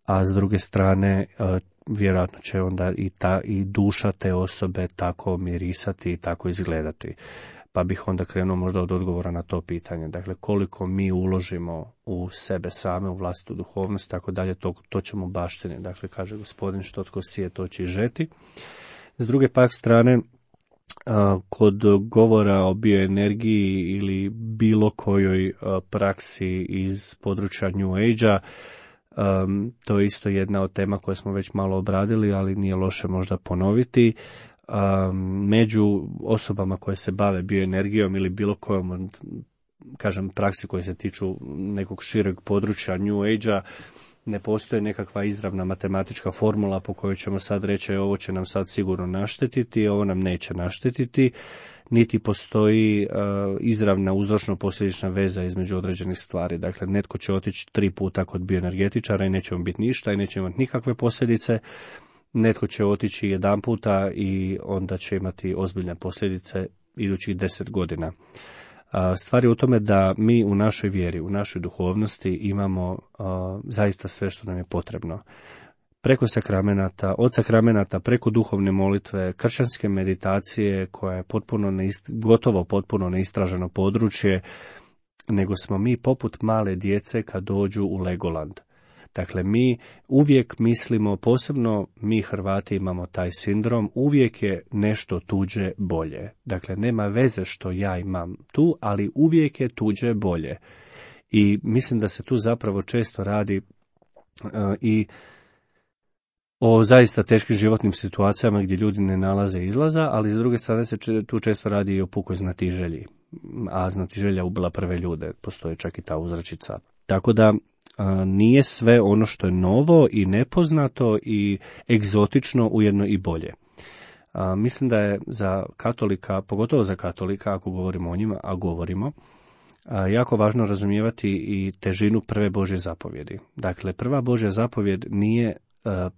a s druge strane vjerojatno će onda i, ta, i duša te osobe tako mirisati i tako izgledati. Pa bih onda krenuo možda od odgovora na to pitanje. Dakle, koliko mi uložimo u sebe same, u vlastitu duhovnost, tako dalje, to, to ćemo baštini. Dakle, kaže Gospodin, što tko sije, to će i žeti. S druge pak strane, kod govora o bioenergiji ili bilo kojoj praksi iz područja New Age-a, Um, to je isto jedna od tema koje smo već malo obradili, ali nije loše možda ponoviti. Um, među osobama koje se bave bioenergijom ili bilo kojom, kažem, praksi koje se tiču nekog šireg područja New Age-a, ne postoji nekakva izravna matematička formula po kojoj ćemo sad reći ovo će nam sad sigurno naštetiti, ovo nam neće naštetiti, niti postoji uh, izravna uzročno-posljedična veza između određenih stvari. Dakle, netko će otići tri puta kod bioenergetičara i neće mu biti ništa i neće imati nikakve posljedice. Netko će otići jedan puta i onda će imati ozbiljne posljedice idućih deset godina. Uh, stvar je u tome da mi u našoj vjeri, u našoj duhovnosti imamo uh, zaista sve što nam je potrebno. Preko sakramenata, od sakramenata, preko duhovne molitve, kršćanske meditacije koja je potpuno neist, gotovo potpuno neistraženo područje, nego smo mi poput male djece kad dođu u Legoland. Dakle, mi uvijek mislimo, posebno mi Hrvati imamo taj sindrom, uvijek je nešto tuđe bolje. Dakle, nema veze što ja imam tu, ali uvijek je tuđe bolje. I mislim da se tu zapravo često radi uh, i o zaista teškim životnim situacijama gdje ljudi ne nalaze izlaza, ali s druge strane se tu često radi i o pukoj znatiželji, a znatiželja ubila prve ljude, postoji čak i ta uzrečica. Tako da a, nije sve ono što je novo i nepoznato i egzotično ujedno i bolje. A, mislim da je za katolika, pogotovo za katolika, ako govorimo o njima, a govorimo, a, jako važno razumijevati i težinu prve Božje zapovjedi. Dakle, prva Božja zapovjed nije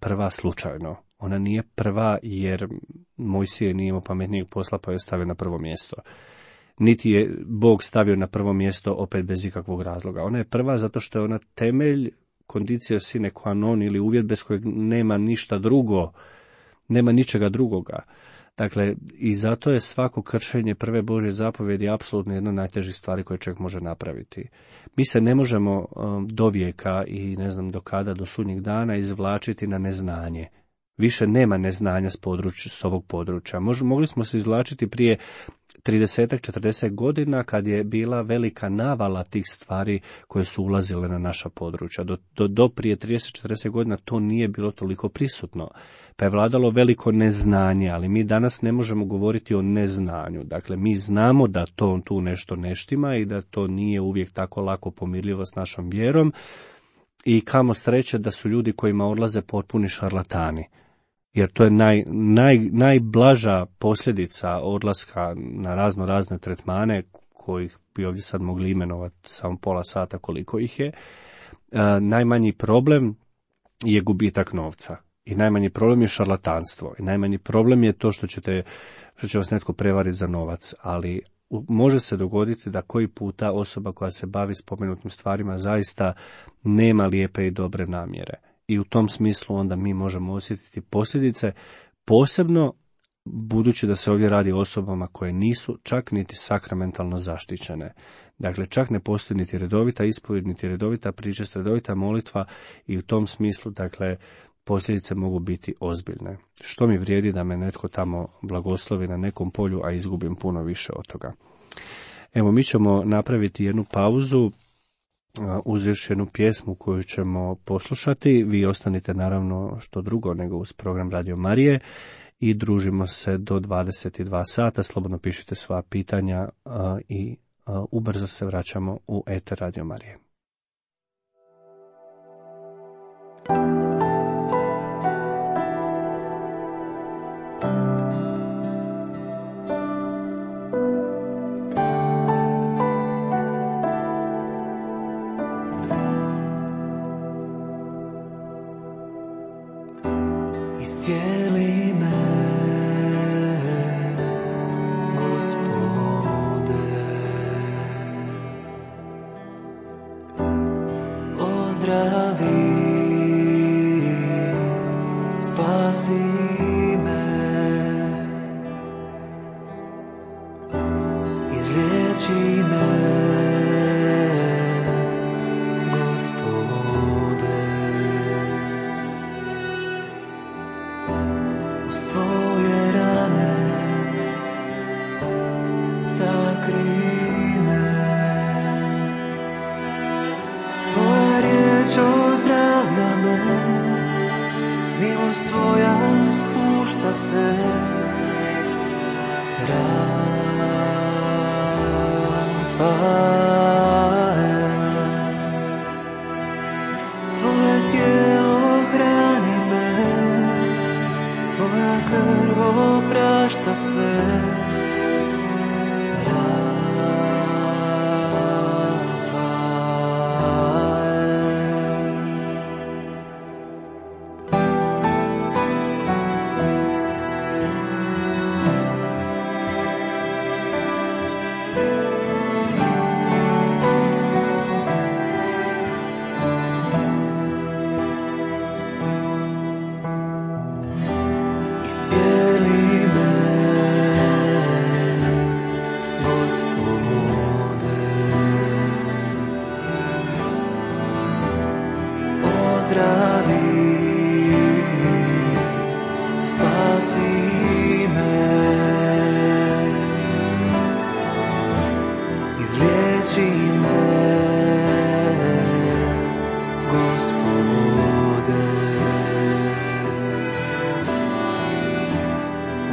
prva slučajno. Ona nije prva jer Mojsije nije imao pametnijeg posla pa je stavio na prvo mjesto. Niti je Bog stavio na prvo mjesto opet bez ikakvog razloga. Ona je prva zato što je ona temelj, condicio sine qua non ili uvjet bez kojeg nema ništa drugo, nema ničega drugoga. Dakle, i zato je svako kršenje prve Božje zapovjedi apsolutno jedna od najtežih stvari koje čovjek može napraviti. Mi se ne možemo um, do vijeka i ne znam do kada, do sudnjeg dana izvlačiti na neznanje. Više nema neznanja s, područja, s ovog područja. Mož, mogli smo se izvlačiti prije trideset četrdeset godina kad je bila velika navala tih stvari koje su ulazile na naša područja. Do, do, do prije trideset četrdeset godina to nije bilo toliko prisutno. Pa je vladalo veliko neznanje, ali mi danas ne možemo govoriti o neznanju. Dakle, mi znamo da to tu nešto ne štima i da to nije uvijek tako lako pomirljivo s našom vjerom i kamo sreće da su ljudi kojima odlaze potpuni šarlatani. Jer to je naj, naj, najblaža posljedica odlaska na razno razne tretmane, kojih bi ovdje sad mogli imenovati samo pola sata koliko ih je. E, najmanji problem je gubitak novca. I najmanji problem je šarlatanstvo. I najmanji problem je to što ćete, što će vas netko prevariti za novac. Ali može se dogoditi da koji puta osoba koja se bavi spomenutim stvarima zaista nema lijepe i dobre namjere. I u tom smislu onda mi možemo osjetiti posljedice, posebno budući da se ovdje radi o osobama koje nisu čak niti sakramentalno zaštićene. Dakle, čak ne postoji niti redovita ispovjed, niti redovita pričest, redovita molitva i u tom smislu, dakle, posljedice mogu biti ozbiljne. Što mi vrijedi da me netko tamo blagoslovi na nekom polju, a izgubim puno više od toga. Evo, mi ćemo napraviti jednu pauzu, uz još jednu pjesmu koju ćemo poslušati. Vi ostanite naravno što drugo nego uz program Radio Marije i družimo se do dvadeset dva sata. Slobodno pišite sva pitanja a, i a, ubrzo se vraćamo u eter Radio Marije. Iscijeli me, Gospode, ozdravi, spasi me, izliječi me. Milost tvoja spušta se, Rafael. Tvoje tijelo hrani me, tvoja krv oprašta sve, iscijeli me,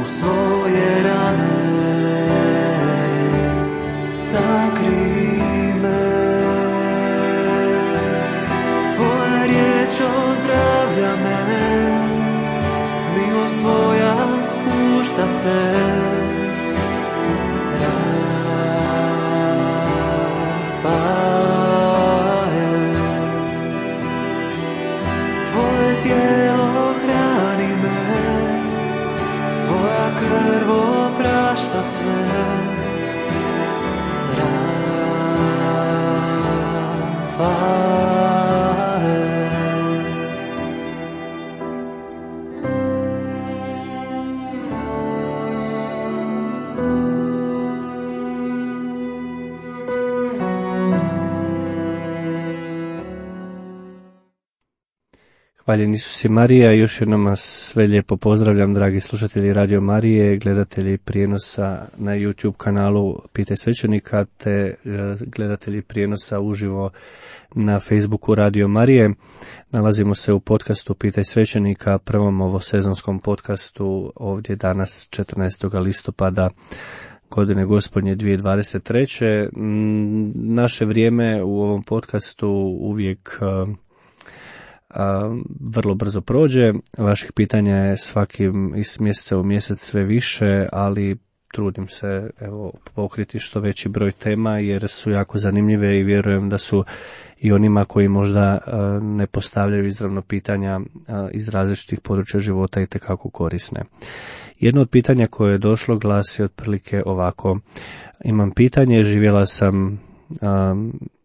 u svoje rane, sakrij me. Tvoja riječ ozdravlja me, milost tvoja spušta se. Tvoje tijelo hrani me, tvoja krv oprašta sve. Hvaljen Isus i Marija, još jednom vas sve lijepo pozdravljam, dragi slušatelji Radio Marije, gledatelji prijenosa na YouTube kanalu Pitaj svećenika, te gledatelji prijenosa uživo na Facebooku Radio Marije. Nalazimo se u podcastu Pitaj svećenika, prvom ovosezonskom podcastu, ovdje danas četrnaestog listopada godine gospodnje dvije tisuće dvadeset treće. Naše vrijeme u ovom podcastu uvijek A, vrlo brzo prođe. Vaših pitanja je svakim iz mjeseca u mjesec sve više, ali trudim se evo pokriti što veći broj tema jer su jako zanimljive i vjerujem da su i onima koji možda a, ne postavljaju izravno pitanja a, iz različitih područja života itekako korisne. Jedno od pitanja koje je došlo glasi otprilike ovako: imam pitanje, živjela sam a,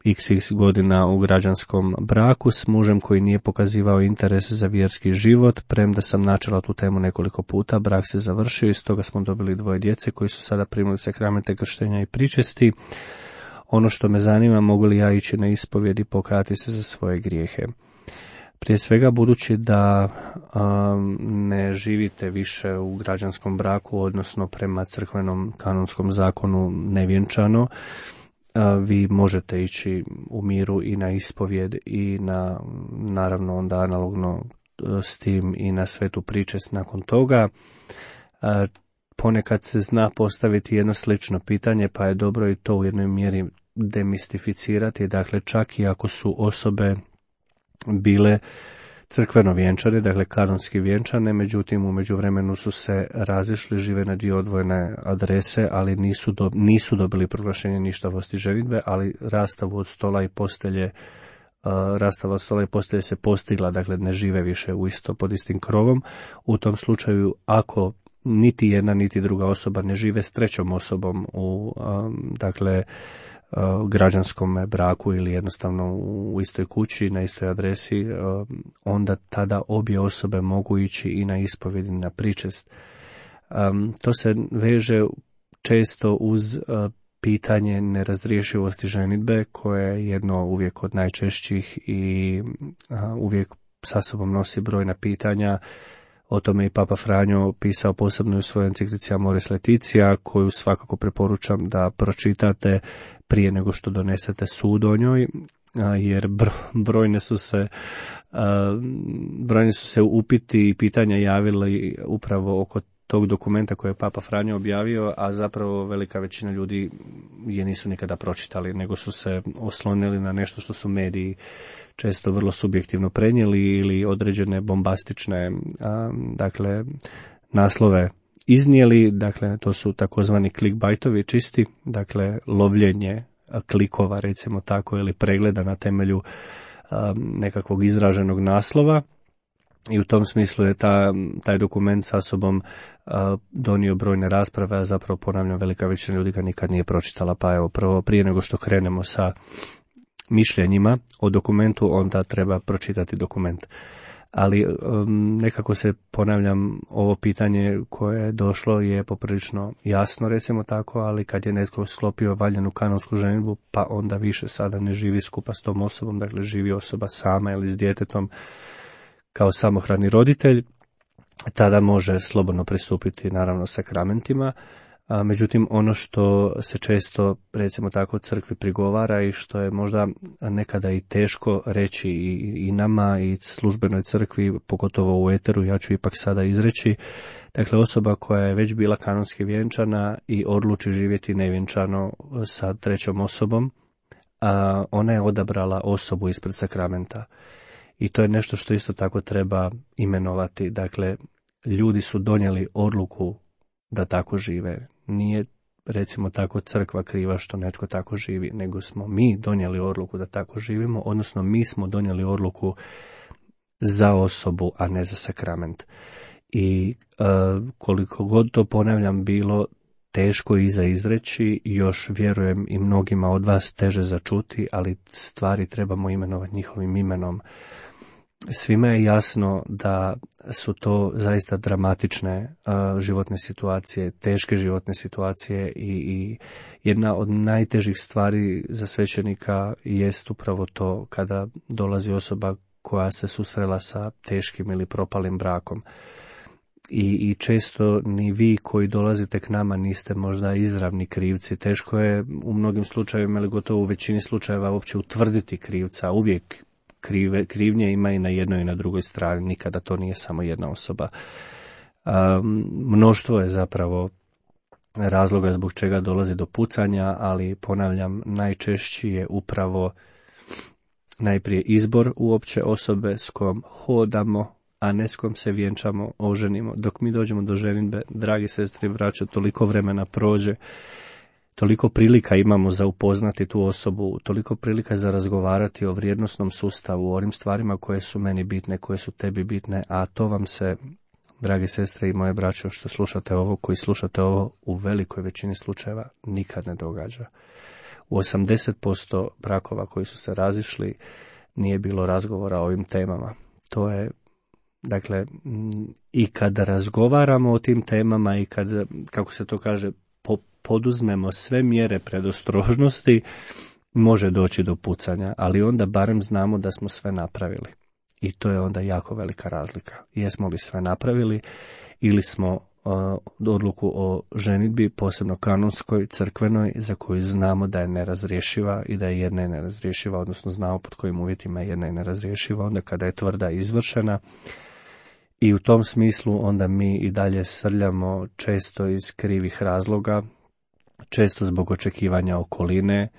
xx godina u građanskom braku s mužem koji nije pokazivao interes za vjerski život, premda sam načela tu temu nekoliko puta, brak se završio i stoga smo dobili dvoje djece koji su sada primili sakramente krštenja i pričesti. Ono što me zanima, mogu li ja ići na ispovjed i pokajati se za svoje grijehe? Prije svega, budući da um, ne živite više u građanskom braku, odnosno prema crkvenom kanonskom zakonu nevjenčano, vi možete ići u miru i na ispovjed i na, naravno onda analogno s tim i na svetu pričest nakon toga. Ponekad se zna postaviti jedno slično pitanje, pa je dobro i to u jednoj mjeri demistificirati. Dakle, čak i ako su osobe bile crkveno vjenčane, dakle kanonski vjenčane, međutim u međuvremenu su se razišli, žive na dvije odvojene adrese, ali nisu, do, nisu dobili proglašenje ništavosti ženidbe, ali rastavu od stola i postelje uh, rastava od stola i postelje se postigla, dakle ne žive više u isto pod istim krovom. U tom slučaju, ako niti jedna niti druga osoba ne žive s trećom osobom u um, dakle građanskom braku ili jednostavno u istoj kući, na istoj adresi, onda tada obje osobe mogu ići i na ispovjed i na pričest. To se veže često uz pitanje nerazriješivosti ženidbe, koje je jedno uvijek od najčešćih i uvijek sa sobom nosi brojna pitanja. O tome i Papa Franjo pisao posebno u svojoj enciklici Amoris Laetitia, koju svakako preporučam da pročitate prije nego što donesete sud o njoj, jer brojne su se, brojni su se upiti i pitanja javili upravo oko tog dokumenta koje je Papa Franjo objavio, a zapravo velika većina ljudi je nisu nikada pročitali, nego su se oslonili na nešto što su mediji često vrlo subjektivno prenijeli ili određene bombastične dakle naslove iznijeli. Dakle, to su takozvani clickbaitovi čisti, dakle lovljenje klikova, recimo tako, ili pregleda na temelju nekakvog izraženog naslova. I u tom smislu je ta, taj dokument sa sobom uh, donio brojne rasprave, a zapravo ponavljam, velika većina ljudi ga nikad nije pročitala, pa evo prvo prije nego što krenemo sa mišljenjima o dokumentu, onda treba pročitati dokument. Ali um, nekako se, ponavljam, ovo pitanje koje je došlo je poprilično jasno, recimo tako, ali kad je netko sklopio valjanu kanonsku ženidbu, pa onda više sada ne živi skupa s tom osobom, dakle živi osoba sama ili s djetetom kao samohrani roditelj, tada može slobodno pristupiti naravno sakramentima. A, međutim, ono što se često, recimo tako, crkvi prigovara i što je možda nekada i teško reći i, i nama i službenoj crkvi, pogotovo u eteru, ja ću ipak sada izreći, dakle osoba koja je već bila kanonski vjenčana i odluči živjeti nevjenčano sa trećom osobom, a ona je odabrala osobu ispred sakramenta. I to je nešto što isto tako treba imenovati. Dakle, ljudi su donijeli odluku da tako žive. Nije, recimo tako, crkva kriva što netko tako živi, nego smo mi donijeli odluku da tako živimo, odnosno mi smo donijeli odluku za osobu, a ne za sakrament. I uh, koliko god to, ponavljam, bilo teško i za izreći, još vjerujem i mnogima od vas teže za čuti, ali stvari trebamo imenovati njihovim imenom. Svima je jasno da su to zaista dramatične uh, životne situacije, teške životne situacije i, i jedna od najtežih stvari za svećenika jest upravo to kada dolazi osoba koja se susrela sa teškim ili propalim brakom. I, i često ni vi koji dolazite k nama niste možda izravni krivci. Teško je u mnogim slučajevima, ili gotovo u većini slučajeva, uopće utvrditi krivca. Uvijek krive, krivnje ima i na jednoj i na drugoj strani, nikada to nije samo jedna osoba. Um, mnoštvo je zapravo razloga zbog čega dolazi do pucanja, ali ponavljam, najčešći je upravo najprije izbor uopće osobe s kojom hodamo, a ne s kojom se vjenčamo, oženimo. Dok mi dođemo do ženidbe, dragi sestri i braćo, toliko vremena prođe, toliko prilika imamo za upoznati tu osobu, toliko prilika za razgovarati o vrijednosnom sustavu, o onim stvarima koje su meni bitne, koje su tebi bitne, a to vam se, dragi sestre i moje braćo, što slušate ovo, koji slušate ovo, u velikoj većini slučajeva nikad ne događa. U osamdeset posto brakova koji su se razišli nije bilo razgovora o ovim temama. To je, dakle, i kada razgovaramo o tim temama i kad, kako se to kaže, po, poduzmemo sve mjere predostrožnosti, može doći do pucanja, ali onda barem znamo da smo sve napravili. I to je onda jako velika razlika. Jesmo li sve napravili ili smo uh, odluku o ženidbi, posebno kanonskoj, crkvenoj, za koju znamo da je nerazrješiva i da je jedna je nerazrješiva, odnosno znamo pod kojim uvjetima je jedna je nerazrješiva, onda kada je tvrda i izvršena. I u tom smislu onda mi i dalje srljamo često iz krivih razloga, često zbog očekivanja okoline,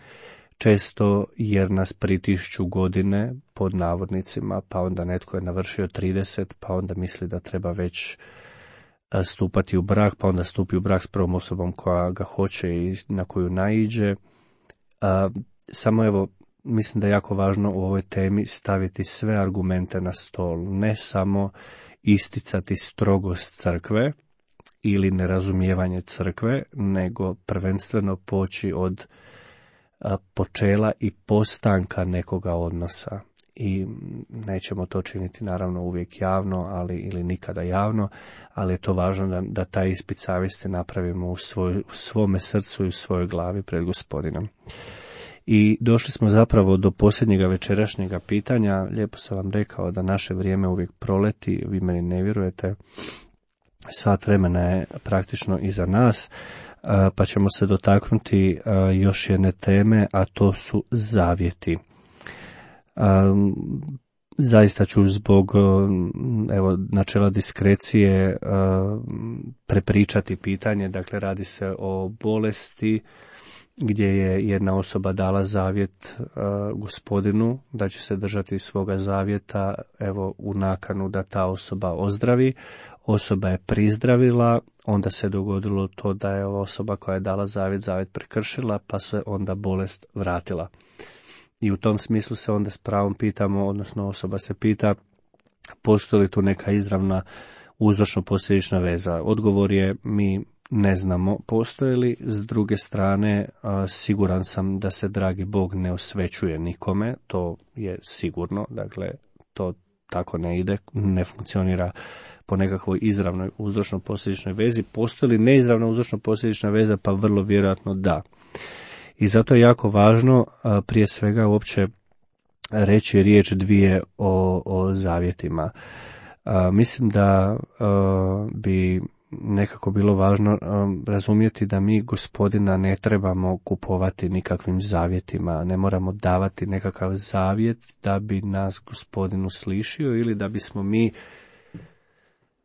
često jer nas pritišću godine, pod navodnicima, pa onda netko je navršio trideset, pa onda misli da treba već stupati u brak, pa onda stupi u brak s prvom osobom koja ga hoće i na koju naiđe. Samo evo, mislim da je jako važno u ovoj temi staviti sve argumente na stol, ne samo isticati strogost crkve ili nerazumijevanje crkve, nego prvenstveno poći od a, počela i postanka nekoga odnosa. I nećemo to činiti naravno uvijek javno, ali ili nikada javno, ali je to važno da, da taj ispit savjesti napravimo u, svoj, u svome srcu i u svojoj glavi pred Gospodinom. I došli smo zapravo do posljednjega večerašnjega pitanja. Lijepo sam vam rekao da naše vrijeme uvijek proleti, vi meni ne vjerujete. Sat vremena je praktično iza nas, pa ćemo se dotaknuti još jedne teme, a to su zavjeti. Zaista ću zbog evo, načela diskrecije prepričati pitanje. Dakle, radi se o bolesti gdje je jedna osoba dala zavjet uh, Gospodinu da će se držati svoga zavjeta, evo, u nakanu da ta osoba ozdravi. Osoba je prizdravila, onda se dogodilo to da je ova osoba koja je dala zavjet, zavjet prekršila, pa se onda bolest vratila. I u tom smislu se onda s pravom pitamo, odnosno osoba se pita, postoji li tu neka izravna uzročno-posljedična veza. Odgovor je mi ne znamo postoji li. S druge strane, siguran sam da se dragi Bog ne osvećuje nikome, to je sigurno, dakle to tako ne ide, ne funkcionira po nekakvoj izravnoj uzročno-posljedičnoj vezi. Postoji li neizravna uzročno-posljedična veza? Pa vrlo vjerojatno da. I zato je jako važno prije svega uopće reći riječ dvije o, o zavjetima. A, mislim da a, bi nekako bilo važno razumjeti da mi Gospodina ne trebamo kupovati nikakvim zavjetima, ne moramo davati nekakav zavjet da bi nas Gospodin uslišio ili da bismo mi,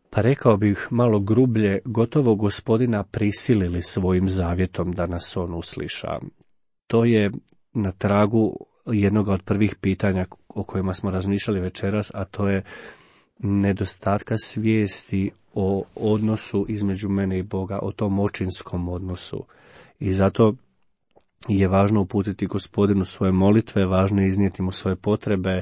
pa rekao bih malo grublje, gotovo Gospodina prisilili svojim zavjetom da nas on usliša. To je na tragu jednog od prvih pitanja o kojima smo razmišljali večeras, a to je nedostatka svijesti o odnosu između mene i Boga, o tom očinskom odnosu. I zato je važno uputiti Gospodinu svoje molitve, važno je iznijeti mu svoje potrebe.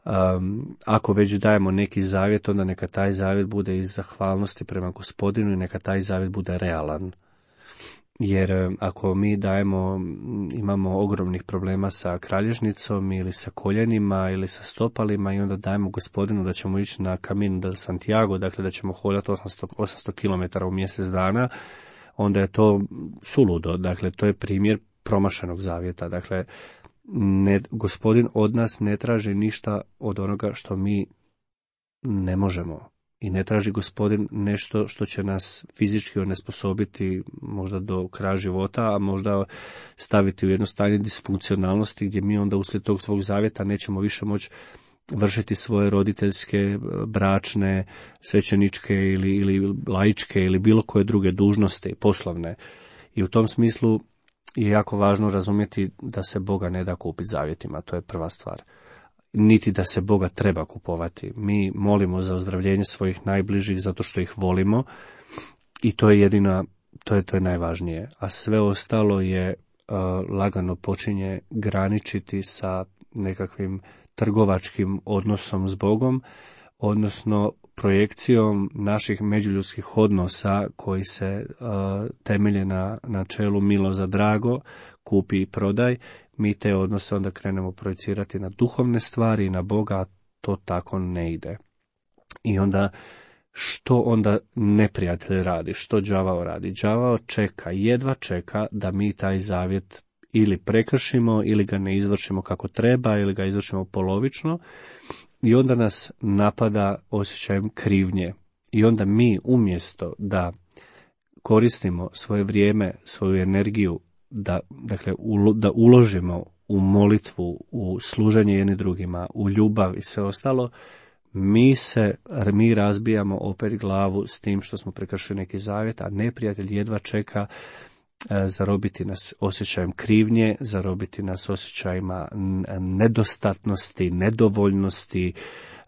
Um, ako već dajemo neki zavjet, onda neka taj zavjet bude iz zahvalnosti prema Gospodinu i neka taj zavjet bude realan. Jer ako mi dajemo, imamo ogromnih problema sa kralježnicom ili sa koljenima ili sa stopalima i onda dajemo Gospodinu da ćemo ići na Camino del Santiago, dakle da ćemo hodati osamsto kilometara u mjesec dana, onda je to suludo, dakle to je primjer promašenog zavjeta. Dakle, ne, Gospodin od nas ne traži ništa od onoga što mi ne možemo. I ne traži Gospodin nešto što će nas fizički onesposobiti možda do kraja života, a možda staviti u jedno stanje disfunkcionalnosti gdje mi onda uslijed tog svog zavjeta nećemo više moći vršiti svoje roditeljske, bračne, svećeničke ili, ili laičke ili bilo koje druge dužnosti, poslovne. I u tom smislu je jako važno razumjeti da se Boga ne da kupiti zavjetima, to je prva stvar. Niti da se Boga treba kupovati. Mi molimo za ozdravljenje svojih najbližih zato što ih volimo i to je jedina, to je, to je najvažnije. A sve ostalo je uh, lagano počinje graničiti sa nekakvim trgovačkim odnosom s Bogom, odnosno projekcijom naših međuljudskih odnosa koji se uh, temelje na načelu milo za drago, kupi i prodaj. Mi te odnose onda krenemo projecirati na duhovne stvari i na Boga, a to tako ne ide. I onda, što onda neprijatelj radi? Što đavao radi? Đavao čeka, jedva čeka da mi taj zavjet ili prekršimo, ili ga ne izvršimo kako treba, ili ga izvršimo polovično. I onda nas napada osjećajem krivnje. I onda mi umjesto da koristimo svoje vrijeme, svoju energiju, da, dakle, da uložimo u molitvu, u služenje jedni drugima, u ljubav i sve ostalo, mi se, mi razbijamo opet glavu s tim što smo prekršili neki zavjet, a neprijatelj jedva čeka e, zarobiti nas osjećajem krivnje, zarobiti nas osjećajima nedostatnosti, nedovoljnosti,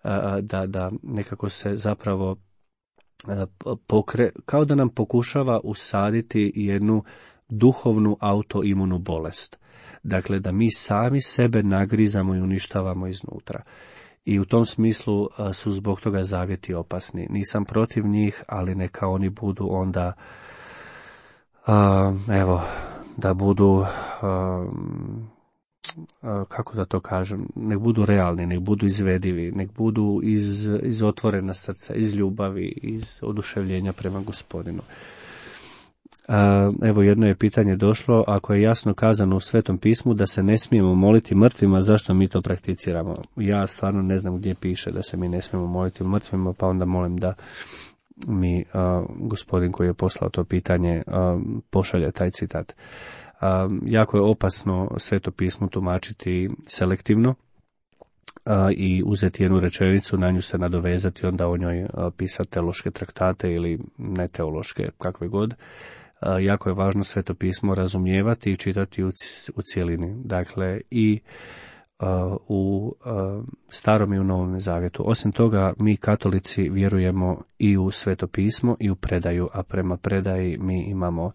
e, da, da nekako se zapravo e, pokre, kao da nam pokušava usaditi jednu duhovnu autoimunu bolest. Dakle, da mi sami sebe nagrizamo i uništavamo iznutra. I u tom smislu su zbog toga zavjeti opasni. Nisam protiv njih, ali neka oni budu onda, uh, evo, da budu, uh, uh, kako da to kažem, nek budu realni, nek budu izvedivi, nek budu iz, iz otvorena srca, iz ljubavi, iz oduševljenja prema Gospodinu. Evo, jedno je pitanje došlo, ako je jasno kazano u Svetom pismu da se ne smijemo moliti mrtvima, zašto mi to prakticiramo? Ja stvarno ne znam gdje piše da se mi ne smijemo moliti mrtvima, pa onda molim da mi uh, gospodin koji je poslao to pitanje uh, pošalje taj citat. Uh, jako je opasno Sveto pismo tumačiti selektivno uh, i uzeti jednu rečenicu, na nju se nadovezati, onda o njoj uh, pisati teološke traktate ili ne teološke, kakve god. Jako je važno Sveto pismo razumijevati i čitati u, u cijelini. Dakle, i uh, u uh, Starom i u Novom zavjetu. Osim toga, mi katolici vjerujemo i u Sveto pismo i u predaju, a prema predaji mi imamo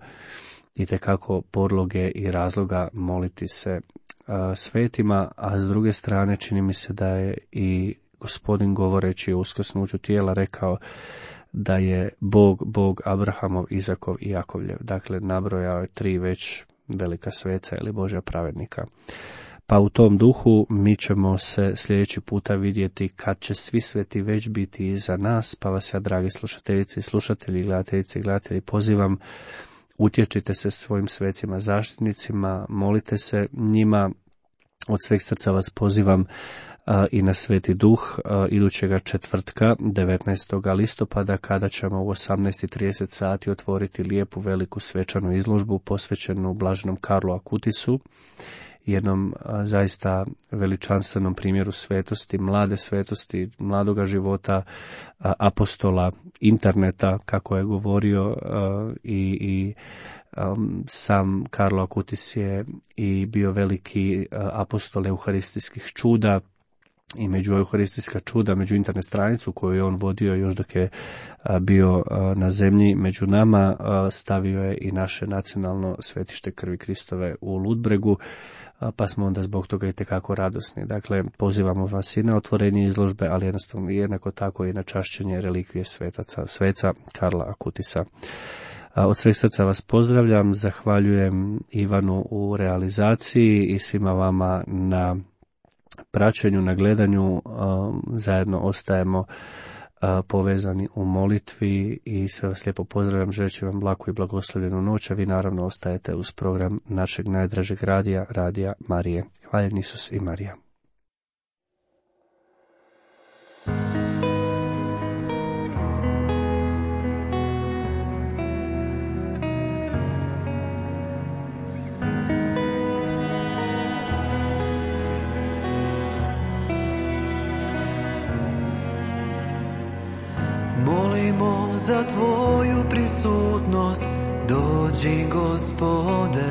itekako podloge i razloga moliti se uh, svetima, a s druge strane čini mi se da je i Gospodin govoreći o uskrsnuću tijela rekao da je Bog, Bog Abrahamov, Izakov i Jakovljev. Dakle, nabrojao je tri već velika sveca ili Božja pravednika. Pa u tom duhu mi ćemo se sljedeći puta vidjeti kad će svi sveti već biti iza nas, pa vas ja, dragi slušateljice i slušatelji, gledateljice i gledatelji, pozivam, utječite se svojim svecima zaštitnicima, molite se njima. Od sveg srca vas pozivam i na Sveti Duh idućega četvrtka devetnaestog listopada, kada ćemo u osamnaest i trideset sati otvoriti lijepu veliku svečanu izložbu posvećenu blaženom Karlu Akutisu, jednom a, zaista veličanstvenom primjeru svetosti, mlade svetosti, mladoga života, a, apostola interneta, kako je govorio, a, i, i a, sam Karlo Akutis je i bio veliki a, apostol euharistijskih čuda, i među euharistijska čuda, među internet stranicu koju je on vodio još dok je a, bio a, na zemlji među nama, a, stavio je i naše nacionalno svetište krvi Kristove u Ludbregu, pa smo onda zbog toga i tekako radosni. Dakle, pozivamo vas i na otvorenje izložbe, ali jednostavno jednako tako i na čašćenje relikvije svetaca, sveca Karla Akutisa. Od sveg srca vas pozdravljam, zahvaljujem Ivanu u realizaciji i svima vama na praćenju, na gledanju. Zajedno ostajemo povezani u molitvi i sve vas lijepo pozdravljam, želeći vam laku i blagoslovljenu noć, a vi naravno ostajete uz program našeg najdražeg radija, Radija Marije. Hvaljen Isus i Marija. Molimo za Tvoju prisutnost, dođi Gospode.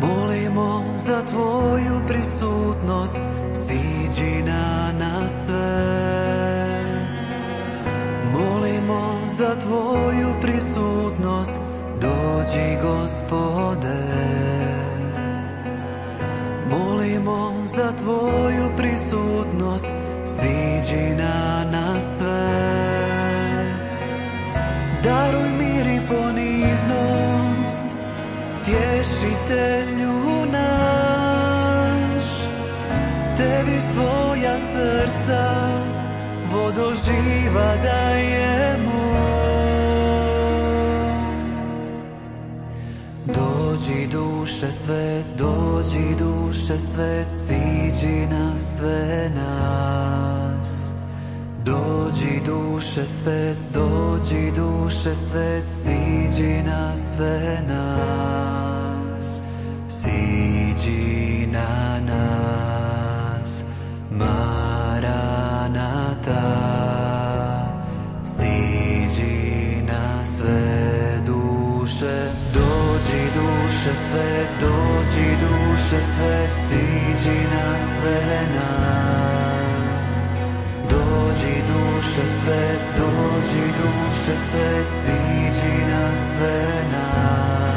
Molimo za Tvoju prisutnost, siđi na nas sve. Molimo za Tvoju prisutnost, dođi Gospode. Molimo za Tvoju prisutnost, siđi na nas sve. Daruj mir i poniznost, tješitelju naš. Tebi svoja srca, vodo živa dajemo. Dođi duše sve, dođi duše sve, siđi na sve nas. Dođi duše sve, dođi duše sve, siđi na sve nas. Siđi na nas, Maranata. Siđi na sve duše, dođi duše sve, dođi duše sve, siđi na sve nas. Dođi duše sve, dođi duše sve, siđi na sve nas.